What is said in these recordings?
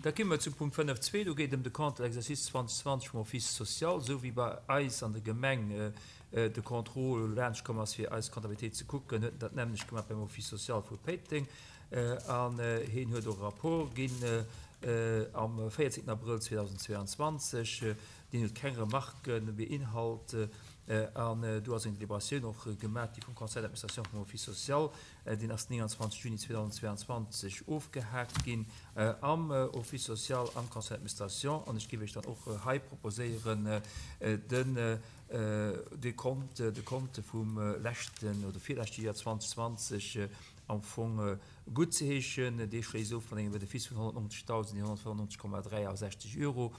Da komme mer zum Punkt 5.2. Do geet et ëm de Compte de l'exercice 2020 vum Office social. Esou wéi bei eis an der Gemeng de Contrôle laanscht komm ass, fir eis Comptabilitéit ze kucken, huet en dat nämmlecht gemaach beim Office social vu Péiteng. An hien huet och e Rapport ginn am 14 Abrëll 2022. Deen huet keng Remarquen beinhalt. An do ass eng Deliberatioun och gemaach gi vum Conseil d'administration vum Office social. Deen ass den 29 Juni 2022 ofgehaakt ginn am Office social, am Conseil d'administration. An ech géif Iech dann och hei proposéieren, den de Compte, de Compte vum leschten oder virleschte Joer 2020 am Fong guttzeheeschen. Dee schléisst of mat engem Benefice vun 190.195,63 Euro,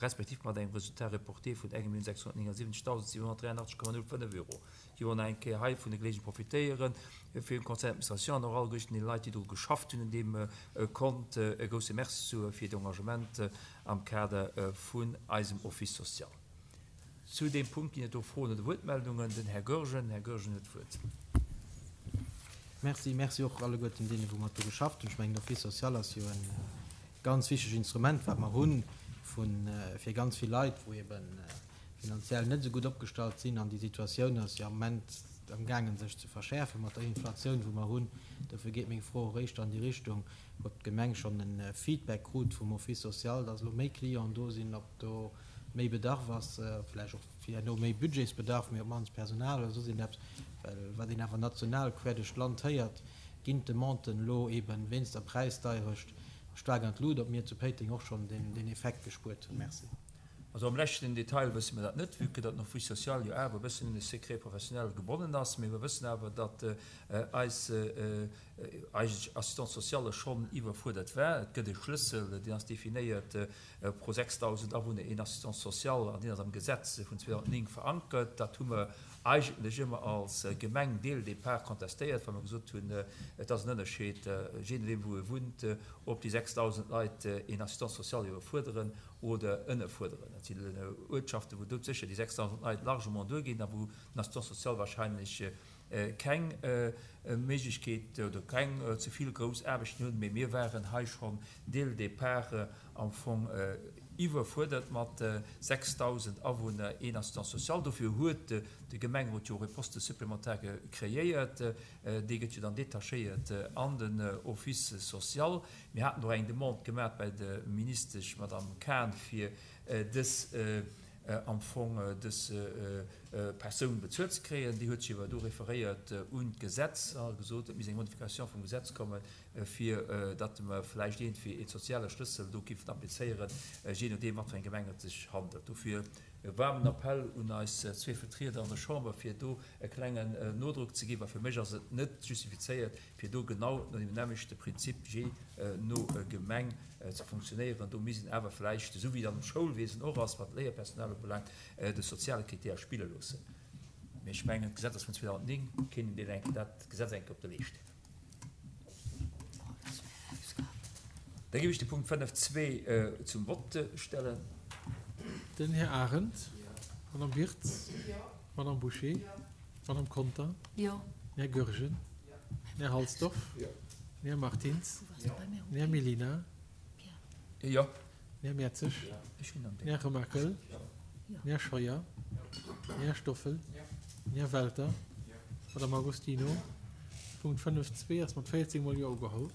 respektiv mat engem Résultat reporté vun 1.679.783,05 Euro. Déi wollen nach eng Kéier hei vun der Geleegenheet profitéieren, fir dem Conseil d'administration an och alleguerten deene Leit, déi dru geschafft hunn un deem Kont, e grousse Merci ze soe fir hiert Engagement am Kader vun eisem Office social. Zu deem Punkt ginn et do Froen oder Wuertmeldungen. Den Här Goergen. Den Här Goergen huet d'Wuert. Merci. Merci och alleguerten deenen, wou mat dru geschafft hunn. Ech mengen, den Office social ass jo e ganz wichteg Instrument, wat mer hunn, fir ganz vill Leit, wou eeben finanziell net esou gutt opgestallt sinn. An déi Situatioun ass jo am Moment amgaangen, sech ze verschäerfen mat der Inflatioun, wou mer hunn. Dofir geet meng Fro och éischter an déi Richtung, ob d'Gemeng schonn e Feedback krut vum Office social, dass elo méi Clienten do sinn, ob do méi Bedarf ass, vläicht och fir herno méi Budgetsbedarf, mee op d'mannst Personal oder soss iergendeppes. Well wat een awer national quer duerch d'Land héiert, ginn d'Demanden elo eeben wéinst der Präisdeierecht staark an d'Lut, ob mir zu Péiteng och schonn deen Effekt gespuert hunn. Merci. Also am leschten Detail wësse mer dat net, vue que datt den Office social jo awer e bëssen un de Secret professionnel gebonnen ass. Mee mer wëssen awer, datt eis eigentlech Assistante sociale schonn iwwerfuerdert war. Et gëtt e Schlëssel, deen ass definéiert, pro 6.000 Awunner een Assistant social, an deen ass am Gesetz vun 2009 verankert. Dat hu mer eigentlech ëmmer als Gemeng dès le départ contestéiert, well mer gesot hunn, et ass en Ënnerscheed, jee nodeem wou e wunnt, ob déi 6.000 Leit een Assistant social iwwerfuerderen oder ënnerfuerderen. Dat sinn Uertschaften, wou doudsécher déi 6.000 Leit largement duerginn a wou den Assistant social wahrscheinlech keng Méiglechkeet oder keng ze vill grouss Aarbechten hunn. Mee mir waren hei schonn dès le départ am Fong iwwerfuerdert mat 6.000 Awunner een Assistant social. Dofir huet de Gemengerot jo och e Poste supplémentaire kreéiert. Dee gëtt jo dann detachéiert an den Office social. Mir haten och eng Demande gemaach bei der Ministesch Madame Cahen, fir dës, am Fong dës Persoun bezuelt ze kréien. Déi huet sech awer do referéiert un d'Gesetz a gesot, et misst eng Modification vum Gesetz kommen, fir datt mer vläicht iergendwéi e soziale Schlëssel do géifen applizéieren, jee nodeem, wat fir eng Gemeng et sech handelt. Dofir e waarmen Appell un eis zwee Vertrieder an der Chamber, fir do e klengen Nodrock ze ginn, well fir mech ass et net justifizéiert, fir do genau no deem nämmlechte Prinzip jee no Gemeng ze funktionéieren. Do misst een awer vläicht, esou wéi et am Schoulwiesen och ass, wat d'Léierpersonal ubelaangt, de soziale Critère spille loossen. Mee ech mengen, d'Gesetz ass vun 2009, kéint een deen eng, dat Gesetz eng Kéier op de Leescht huelen. Da géif ech de Punkt 5.2 zum Vott stellen. Den Här Arendt. Madame Wirtz. Madame Bouché. Madame Conter. Här Goergen. Här Halsdorf. Här Martins. Här Mellina. Här Mertzig. Här Remakel. Här Scheuer. Här Stoffel. Här Welter. Madame Agostino. Punkt 5.2 ass mat 14 mol Jo ugeholl.